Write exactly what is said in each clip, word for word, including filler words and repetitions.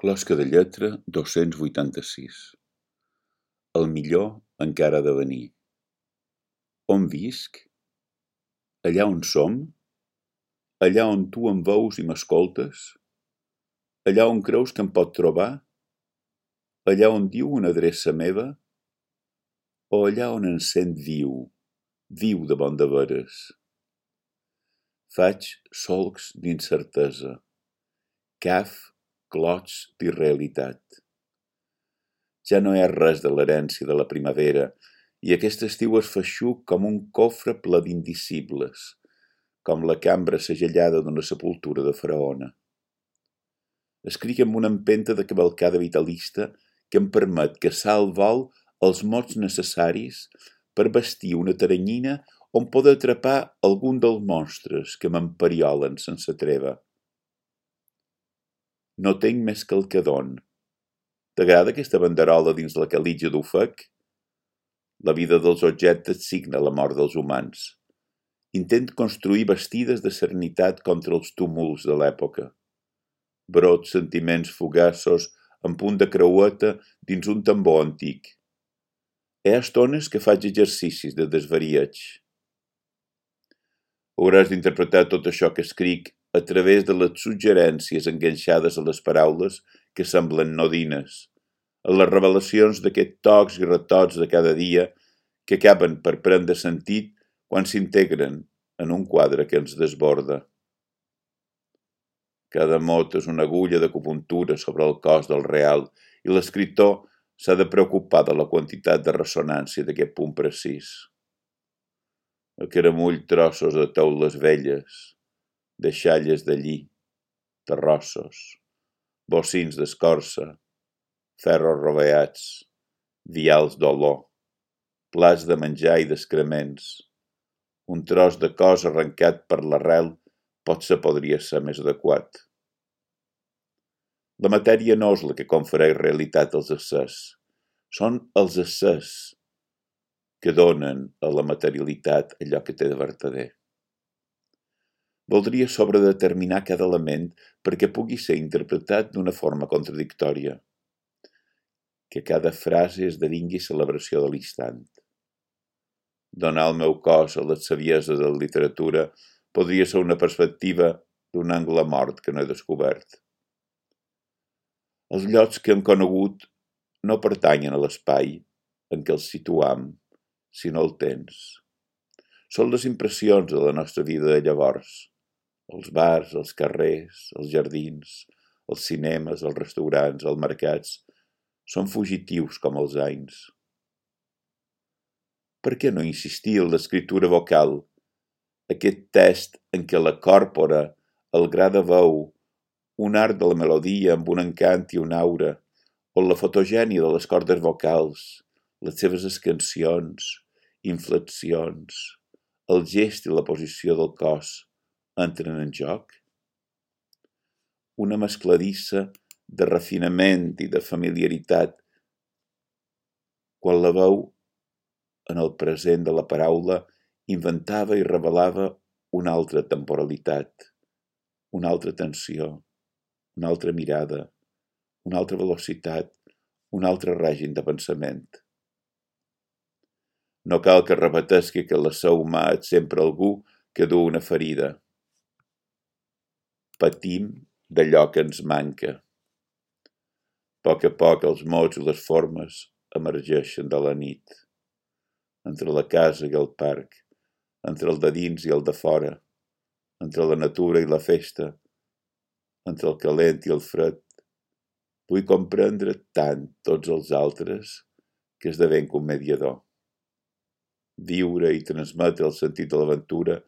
Closca de lletra dos-cents vuitanta-sis. El millor encara ha de venir. On visc? Allà on som? Allà on tu em veus i m'escoltes? Allà on creus que em pot trobar? Allà on diu una adreça meva? O allà on em sent viu, viu de bon de veres? Faig solcs d'incertesa, caf clots d'irrealitat. Ja no hi ha res de l'herència de la primavera, i aquest estiu es feixuc com un cofre ple d'indicibles, com la cambra segellada d'una sepultura de faraona. Escric amb una empenta de cavalcada vitalista que em permet caçar al vol els mots necessaris per vestir una teranyina on poder atrapar algun dels monstres que m'emperiolen sense treva. No tenc més que el que don. T'agrada aquesta banderola dins la calitja d'ofec? La vida dels objectes signa la mort dels humans. Intent construir bastides de serenitat contra els túmuls de l'època. Brots sentiments fugaços en punt de creueta dins un tambor antic. Hi ha estones que faig exercicis de desvarieig. Hauràs d'interpretar tot això que escric a través de les suggerències enganxades a les paraules que semblen nodines, a les revelacions d'aquests tocs i retocs de cada dia que acaben per prendre sentit quan s'integren en un quadre que ens desborda. Cada mot és una agulla d'acupuntura sobre el cos del real i l'escriptor s'ha de preocupar de la quantitat de ressonància d'aquest punt precís. Acaramull trossos de teules velles, de xalles de lli, terrossos, bocins d'escorça, ferros roveats, vials d'olor, plats de menjar i d'excrements. Un tros de cos arrencat per l'arrel potser podria ser més adequat. La matèria no és la que confereix realitat als éssers, són els éssers que donen a la materialitat allò que té de vertader. Voldria sobredeterminar cada element perquè pugui ser interpretat d'una forma contradictòria, que cada frase esdevingui celebració de l'instant. Donar al meu cos a les savieses de la literatura podria ser una perspectiva d'un angle mort que no he descobert. Els llocs que hem conegut no pertanyen a l'espai en què els situam, sinó al temps. Són les impressions de la nostra vida de llavors, els bars, els carrers, els jardins, els cinemes, els restaurants, els mercats, són fugitius com els anys. Per què no insistir en l'escriptura vocal, aquest test en què la còrpora, el gra de veu, un art de la melodia amb un encant i una aura, o la fotogènia de les cordes vocals, les seves escansions, inflexions, el gest i la posició del cos entren en joc? Una mescladissa de refinament i de familiaritat quan la veu en el present de la paraula inventava i revelava una altra temporalitat, una altra tensió, una altra mirada, una altra velocitat, un altre règim de pensament. No cal que repetesqui que l'ésser humà és sempre algú que du una ferida. Patim d'allò que ens manca. A poc a poc els mots i les formes emergeixen de la nit, entre la casa i el parc, entre el de dins i el de fora, entre la natura i la festa, entre el calent i el fred. Vull comprendre tant tots els altres que esdevenc un mediador. Viure i transmetre el sentit de l'aventura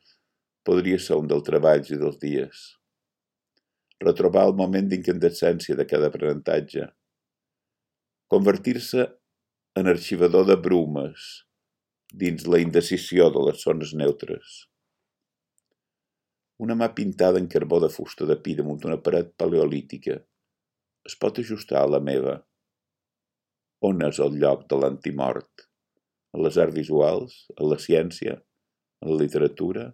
podria ser un dels treballs i dels dies. Retrobar el moment d'incandescència de cada aprenentatge. Convertir-se en arxivador de brumes dins la indecisió de les zones neutres. Una mà pintada en carbó de fusta de pi damunt una paret paleolítica es pot ajustar a la meva. On és el lloc de l'antimort? A les arts visuals, a la ciència, a la literatura,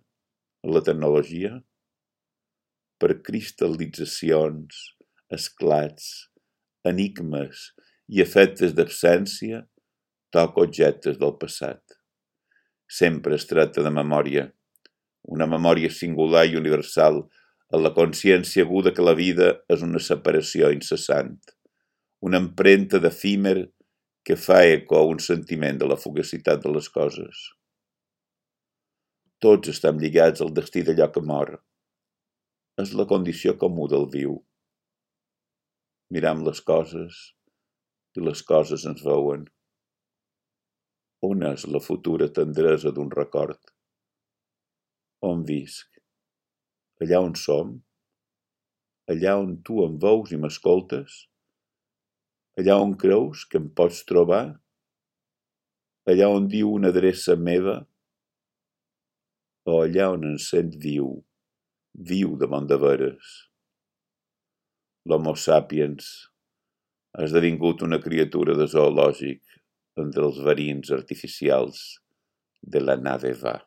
a la tecnologia? Per cristal·litzacions, esclats, enigmes i efectes d'absència, toca objectes del passat. Sempre es tracta de memòria, una memòria singular i universal, en la consciència aguda que la vida és una separació incessant, una empremta d'efímer que fa eco a un sentiment de la fugacitat de les coses. Tots estem lligats al destí d'allò que mor. És la condició comú del viu. Miram les coses i les coses ens veuen. On és la futura tendresa d'un record? On visc? Allà on som? Allà on tu em veus i m'escoltes? Allà on creus que em pots trobar? Allà on diu una adreça meva? O allà on em sent viu, viu damunt de veres? L'Homo sapiens ha esdevingut una criatura de zoològic entre els verins artificials de la nave va.